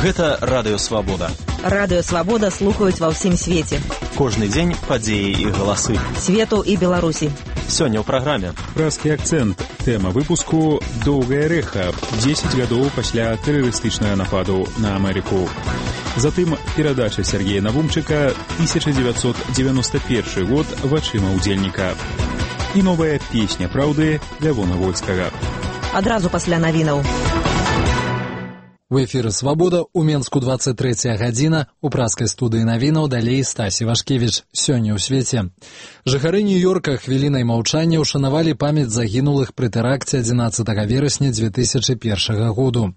Гэта Радыё Свабода. Радыё Свабода слухаюць ва ўсім свеце. Кожны дзень падзеі і галасы. Свету і Беларусі. Сёння ў праграме. Празкі акцэнт. Тэма выпуску «Доўгае рэха. 10 гадоў пасля тэрарыстычнага нападу на Амерыку». Затым перадача Сергея Навумчыка 1991 год вачыма ўдзельніка. І новая песня праўды Лявона Вольскага. Адразу пасля навінаў. У эфіры «Свабода» у Менску 23 гадзіна, у празкай студыі навінаў далей Стасі Вашкевіч. Сёння ў свеце. Жыхары Нью-Йорка хвілінай маўчання ўшанавалі памяць загінулых пры тэракце 11 верасня 2001 году.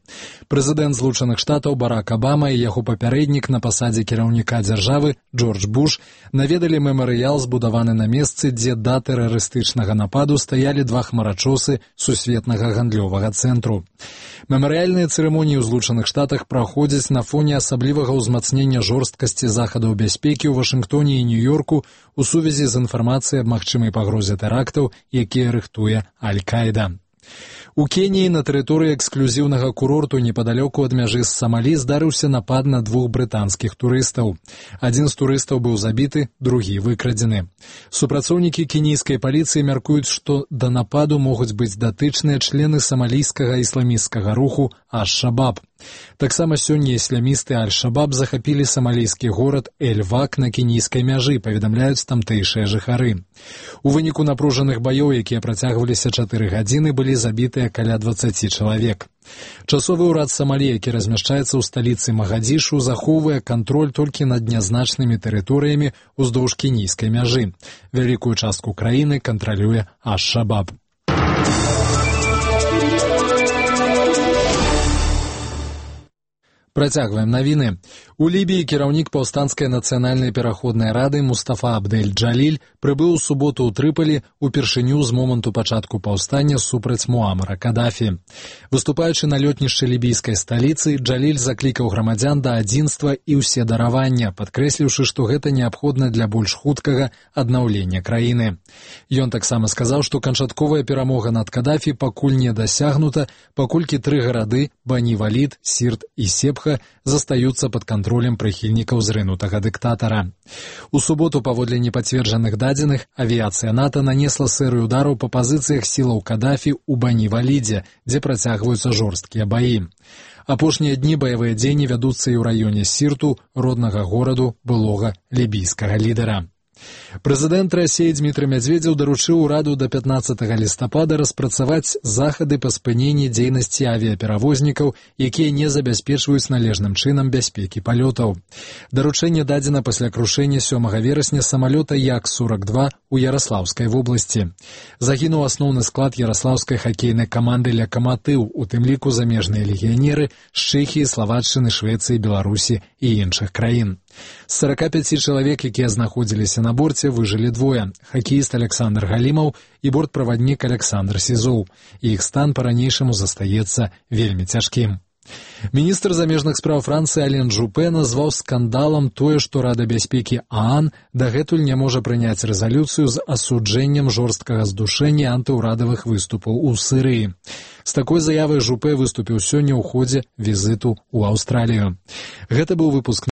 Прэзідэнт Злучаных Штатаў Барак Абама і яго папярэднік на пасадзе кіраўніка дзяржавы Джордж Буш наведалі мемарыял, збудаваны на месцы, дзе да тэрарыстычнага нападу стаялі два хмарачосы сусветнага гандлёвага цэнтру. Мемарыяльныя цырымоніі ў Злучаных Штатах праходзяць на фоне асаблівага ўзмацнення жорсткасці захадаў бяспекі ў Вашынгтоне і Нью-Йорку у сувязі з інфармацыяй аб магчымай пагрозе тэрактаў, якія рыхтуе Аль-Каіда. У Кеніі на тэрыторыі эксклюзіўнага курорту непадалёку ад мяжы з Самалі здарыўся напад на двух брытанскіх турыстаў. Адзін з турыстаў быў забіты, другі выкрадзены. Супрацоўнікі кенійскай паліцыі мяркуюць, што да нападу могуць быць датычныя члены самалійскага ісламісцкага руху Аш-Шабаб. Таксама сёння ісламісты Аль-Шабаб захапілі самалійскі горад Эль-Вак на кенійскай мяжы, паведамляюць тамтэйшыя жыхары. У выніку напружаных баёў, якія працягваліся 4 гадзіны, былі забітыя каля 20 чалавек. Часовы ўрад Самалі, які размяшчаецца ў сталіцы Магадзішу, захоўвае кантроль толькі над нязначнымі тэрыторыямі ўздоўж кенійскай мяжы. Вялікую частку краіны кантралюе Аш-Шабаб. Працягваем навіны. У Лібіі кіраўнік паўстанцкай нацыянальнай пераходнай рады Мустафа Абдель-Джаліль прыбыў у суботу ў Трыполі упершыню з моманту пачатку паўстання супраць Муамара Кадафі. Выступаючы на лётнішчы лібійскай сталіцы, Джаліль заклікаў грамадзян да адзінства і ўседаравання, падкрэсліўшы, што гэта неабходна для больш хуткага аднаўлення краіны. Ён таксама сказаў, што канчатковая перамога над Кадафі пакуль не дасягнута, паколькі 3 гарады – Бані-Валід, Сірт і Сепха застаюцца пад кантролем прыхільнікаў зрынутага дыктатара. У суботу, паводле непацверджаных дадзеных, авіяцыя НАТО нанесла серыю удараў па пазіцыях сілаў Кадафі ў Бані-Валідзе, дзе працягваюцца жорсткія баі. Апошнія дні баявыя дзеянні вядуцца і ў раёне Сірту, роднага гораду былога лібійскага лідара. Прэзідэнт Расіі Дмітрый Мядзведзеў даручыў ураду да 15 лістапада распрацаваць захады па спыненні дзейнасці авіяперавознікаў, якія не забяспечваюць належным чынам бяспекі палётаў. Даручэнне дадзена пасля крушэння 7 верасня самалёта Як-42 у Яраслаўскай вобласці. Загінуў асноўны склад яраслаўскай хакейнай каманды «Лакаматыў», у тым ліку замежныя легіянеры з Чэхіі, Славаччыны, Швецыі, Беларусі і іншых краін. З 45 чалавек, якія знаходзіліся на борце, выжылі 2 – хакеіст Александр Галімаў і бортправаднік Александр Сізоў. Іх стан па-ранейшаму застаецца вельмі цяжкім. Міністр замежных спраў Францыі Ален Жупе назваў скандалам тое, што Рада бяспекі ААН дагэтуль не можа прыняць рэзалюцыю з асуджэннем жорсткага здушэння антыўрадавых выступаў у Сірыі. З такой заявай Жупе выступіў сёння ў ходзе візіту ў Аўстралію. Гэта быў выпуск